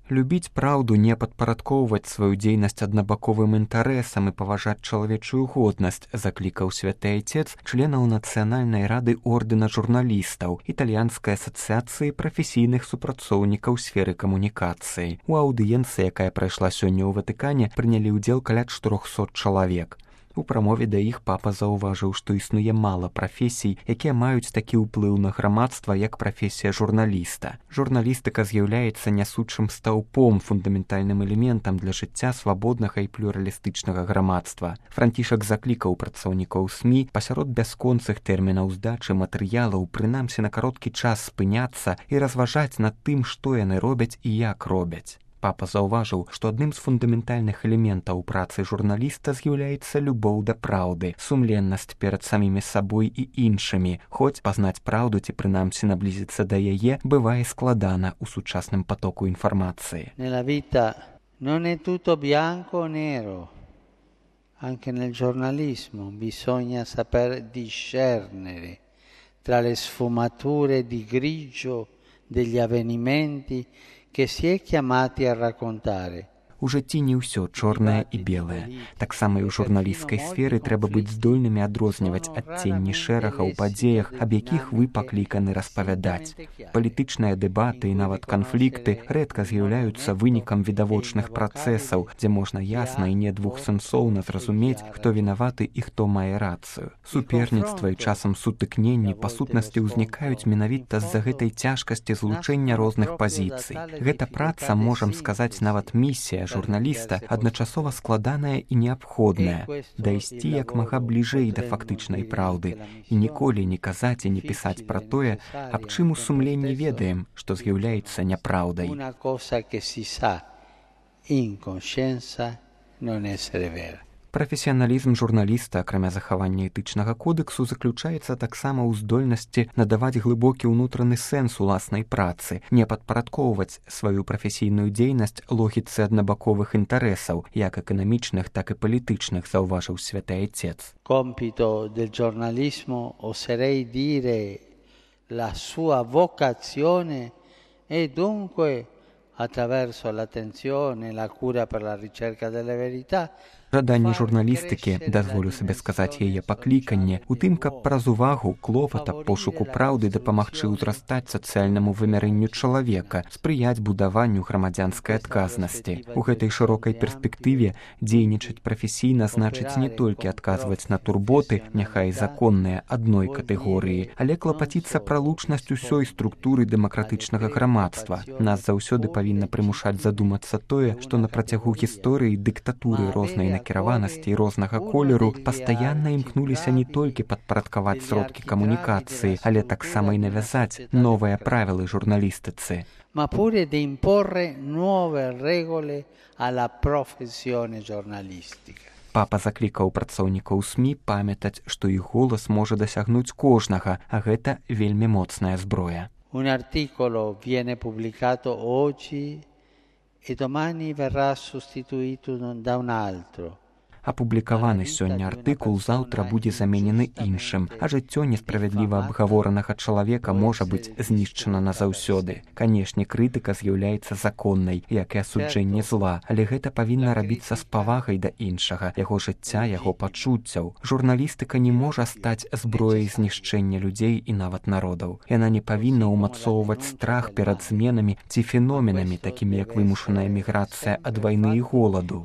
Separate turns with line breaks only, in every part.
Любіць праўду, не падпарадкоўваць сваю дзейнасць аднабаковым інтарэсам і паважаць чалавечую годнасць, заклікаў святы айцец членаў Нацыянальнай рады ордэна журналістаў, італьянскай асацыяцыі прафесійных супрацоўнікаў сферы камунікацыі. У аўдыенцыі, якая прайшла сёння ў Ватыкане, прынялі ўдзел каля 400 чалавек. У прамове да іх папа заўважыў, што існуе мала прафесій, якія маюць такі ўплыў на грамадства, як прафесія журналіста. Журналістыка з'яўляецца нясучым стаўпом, фундаментальным элементам для жыцця свабоднага і плюралістычнага грамадства. Францішак заклікаў працаўнікоў СМІ пасярод бясконцых тэрмінаў здачы матэрыялаў прынамсі на кароткі час спыняцца і разважаць над тым, што яны робяць і як робяць. Папа заўважыў, што адным з фундаментальных элементаў працы журналіста з'яўляецца любоў да праўды, сумленнасць перад самімі сабой і іншымі, хоць пазнаць праўду ці прынамсі наблізіцца да яе бывае складана ў сучасным потоку інфармацыі.
Nella vita non è tutto bianco o nero. Anche nel giornalismo bisogna saper discernere tra le sfumature di grigio degli avvenimenti che si è chiamati a raccontare.
У жыцці не ўсё чорнае і белае. Таксама і ў журналісцкай сферы трэба быць здольнымі адрозніваць адценні шэрага ў падзеях, аб якіх вы пакліканы распавядаць. Палітычныя дэбаты і нават канфлікты рэдка з'яўляюцца вынікам відавочных працэсаў, дзе можна ясна і не двухсэнсоўна зразумець, хто вінаваты і хто мае рацыю. Суперніцтва і часам сутыкненні па сутнасці ўзнікаюць менавіта з-за гэтай цяжкасці злучэння розных пазіцый. Гэта праца, можам сказаць, нават місія журналіста адначасова складаная і неабходная, дайсці як мага бліжэй да фактычнай праўды і ніколі не казаць і не пісаць пра тое, аб чым у сумленні ведаем, што з'яўляецца няпраўдай.
Una cosa che si sa in coscienza non essere vera.
Прафесіяналізм журналіста, акрамя захавання этычнага кодексу, заключаецца таксама ў здольнасці надаваць глыбокі ўнутраны сэнс уласнай працы, не падпарадкоўваць сваю прафесійную дзейнасць логіцы аднабаковых інтарэсаў, як эканамічных, так і палітычных, заўважыў святы айцец.
Compito del giornalismo, oserei dire la sua vocazione, e dunque attraverso l'attenzione e la cura per la ricerca delle verità.
Жаданне журналістыкі, дазволю сабе сказаць яе пакліканне, у тым, каб праз увагу, клопата, пошуку праўды дапамагчы ўзрастаць сацыяльнаму вымярэнню чалавека, спрыяць будаванню грамадзянскай адказнасці. У гэтай шырокай перспектыве дзейнічаць прафесійна значыць не толькі адказваць на турботы, няхай законныя адной катэгорыі, але клапаціцца пра лучнасць усёй структуры дэмакратычнага грамадства. Нас заўсёды павінна прымушаць задумацца тое, што на працягу гісторыі дыктатуры рознай накіраванасці і рознага колеру пастаянна імкнуліся не толькі падпарадкаваць сродкі камунікацыі, але таксама і навязаць новыя правілы журналістыцы.
Ma pure di imporre nuove regole alla professione giornalistica.
Папа заклікаў працаўнікаў СМІ памятаць, што іх голас можа дасягнуць кожнага, а гэта вельмі моцная зброя.
Un articolo viene pubblicato oggi e domani verrà sostituito da un altro.
Апублікаваны сёння артыкул заўтра будзе заменены іншым, а жыццё несправядліва абгаворанага чалавека можа быць знішчана назаўсёды. Канешне, крытыка з'яўляецца законнай, як і асуджэнне зла, але гэта павінна рабіцца з павагай да іншага, яго жыцця, яго пачуццяў. Журналістыка не можа стаць зброяй знішчэння людзей і нават народаў. Яна не павінна ўмацоўваць страх перад зменамі ці феноменамі, такімі як вымушаная міграцыя ад вайны і голаду.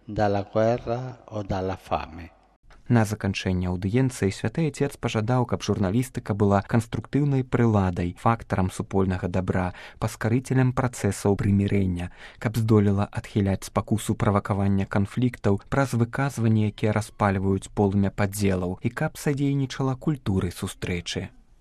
Dalla guerra o dalla fame.
На заканчэнне аўдыенцыі святы айцец пажадаў, каб журналістыка была канструктыўнай прыладай, фактарам супольнага дабра, паскарыцелем працэсаў прымірэння, каб здолела адхіляць спакусу правакавання канфліктаў праз выказванні, якія распальваюць полымя падзелаў, і каб садзейнічала культуры сустрэчы.